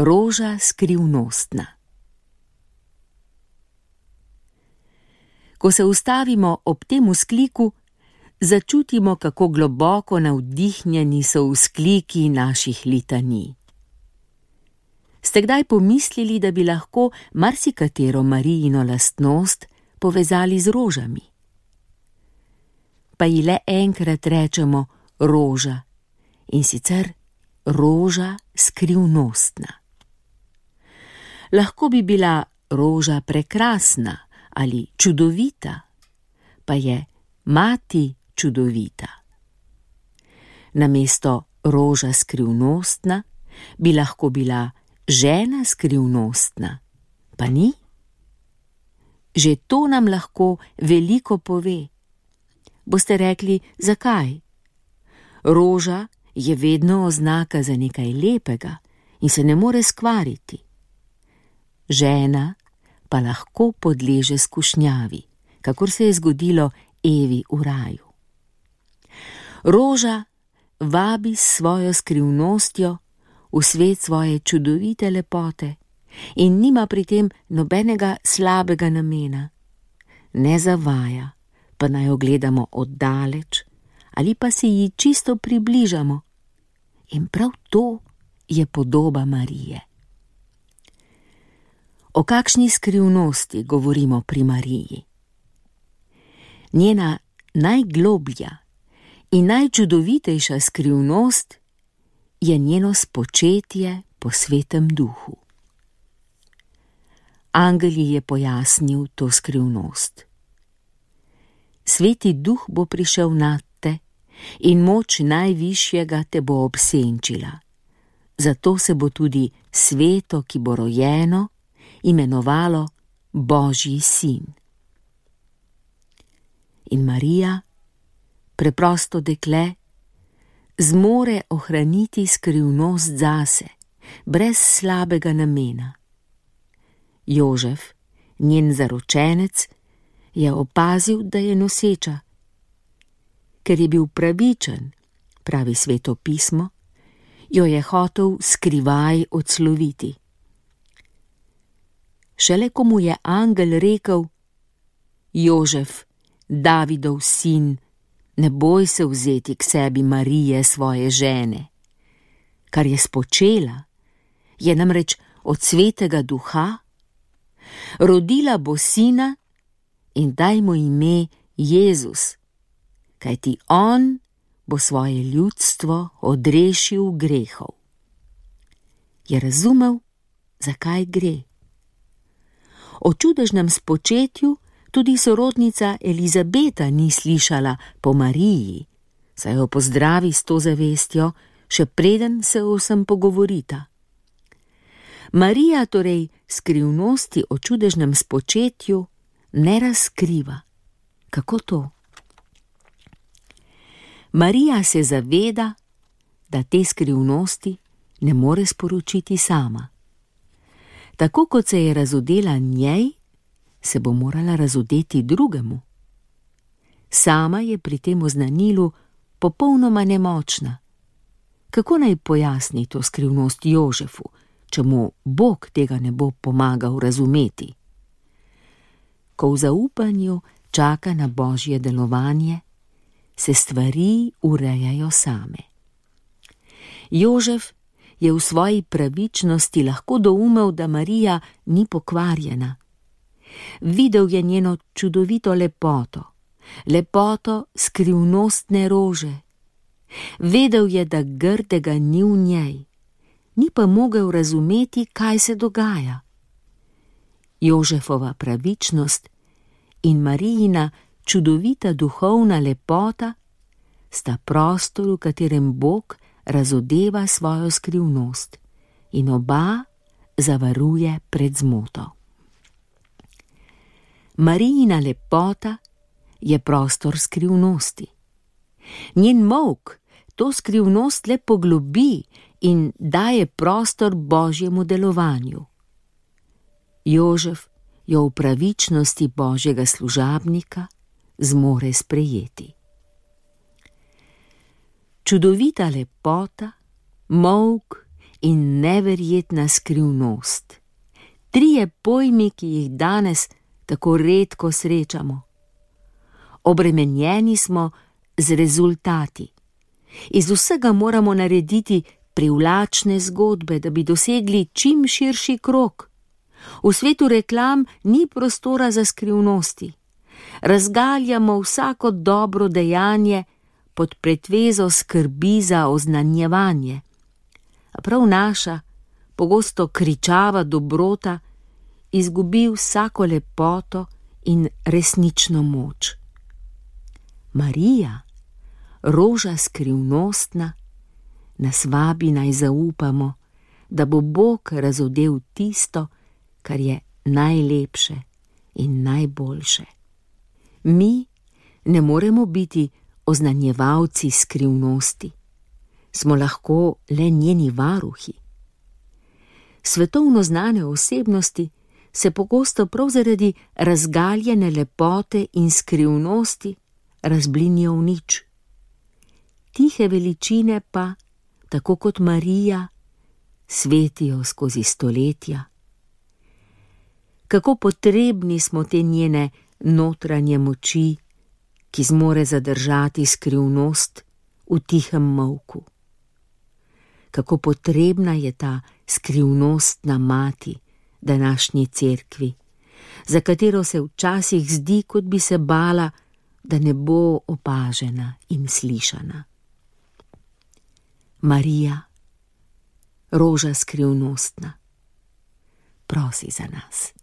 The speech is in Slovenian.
Roža skrivnostna. Ko se ustavimo ob tem vzkliku, začutimo, kako globoko navdihnjeni so vzkliki naših litanij. Ste kdaj pomislili, da bi lahko marsikatero Marijino lastnost povezali z rožami? Pa ji le enkrat rečemo roža, in sicer roža skrivnostna. Lahko bi bila roža prekrasna ali čudovita, pa je mati čudovita. Namesto roža skrivnostna bi lahko bila žena skrivnostna, pa ni? Že to nam lahko veliko pove. Boste rekli, zakaj? Roža je vedno oznaka za nekaj lepega in se ne more skvariti. Žena pa lahko podleže skušnjavi, kakor se je zgodilo Evi v raju. Roža vabi s svojo skrivnostjo v svet svoje čudovite lepote in nima pri tem nobenega slabega namena. Ne zavaja, pa naj jo gledamo oddaleč ali pa se ji čisto približamo. In prav to je podoba Marije. O kakšni skrivnosti govorimo pri Mariji? Njena najgloblja in najčudovitejša skrivnost je njeno spočetje po Svetem Duhu. Angel ji je pojasnil to skrivnost. Sveti Duh bo prišel nad te in moč Najvišjega te bo obsenčila. Zato se bo tudi sveto, ki bo rojeno, imenovalo Božji sin. In Marija, preprosto dekle, zmore ohraniti skrivnost zase, brez slabega namena. Jožef, njen zaročenec, je opazil, da je noseča. Ker je bil pravičen, pravi Sveto pismo, jo je hotel skrivaj odsloviti. Šele ko mu je angel rekel: Jožef, Davidov sin, ne boj se vzeti k sebi Marije, svoje žene. Kar je spočela, je namreč od Svetega Duha. Rodila bo sina in daj mu ime Jezus, kajti on bo svoje ljudstvo odrešil grehov. Je razumel, zakaj gre? O čudežnem spočetju tudi sorodnica Elizabeta ni slišala po Mariji, saj jo pozdravi s to zavestjo, še preden se o vsem pogovorita. Marija torej skrivnosti o čudežnem spočetju ne razkriva. Kako to? Marija se zaveda, da te skrivnosti ne more sporočiti sama. Tako kot se je razodela njej, se bo morala razodeti drugemu. Sama je pri tem oznanilu popolnoma nemočna. Kako naj pojasni to skrivnost Jožefu, če mu Bog tega ne bo pomagal razumeti? Ko v zaupanju čaka na Božje delovanje, se stvari urejajo same. Jožef je v svoji pravičnosti lahko doumel, da Marija ni pokvarjena. Videl je njeno čudovito lepoto, lepoto skrivnostne rože. Vedel je, da grdega ni v njej, ni pa mogel razumeti, kaj se dogaja. Jožefova pravičnost in Marijina čudovita duhovna lepota sta prostor, v katerem Bog razodeva svojo skrivnost in oba zavaruje pred zmoto. Marijina lepota je prostor skrivnosti. Njen molk to skrivnost le poglobi in daje prostor Božjemu delovanju. Jožef jo v pravičnosti Božjega služabnika zmore sprejeti. Čudovita lepota, molk in neverjetna skrivnost. 3 pojmi, ki jih danes tako redko srečamo. Obremenjeni smo z rezultati. Iz vsega moramo narediti privlačne zgodbe, da bi dosegli čim širši krog. V svetu reklam ni prostora za skrivnosti. Razgaljamo vsako dobro dejanje pod pretvezo skrbi za oznanjevanje. A prav naša, pogosto kričava dobrota, izgubi vsako lepoto in resnično moč. Marija, roža skrivnostna, nas vabi naj zaupamo, da bo Bog razodel tisto, kar je najlepše in najboljše. Mi ne moremo biti oznanjevalci skrivnosti, smo lahko le njeni varuhi. Svetovno znane osebnosti se pogosto prav zaradi razgaljene lepote in skrivnosti razblinijo v nič. Tihe veličine pa, tako kot Marija, svetijo skozi stoletja. Kako potrebni smo te njene notranje moči, ki zmore zadržati skrivnost v tihem molku. Kako potrebna je ta skrivnostna mati današnji cerkvi, za katero se včasih zdi, kot bi se bala, da ne bo opažena in slišana. Marija, roža skrivnostna, prosi za nas.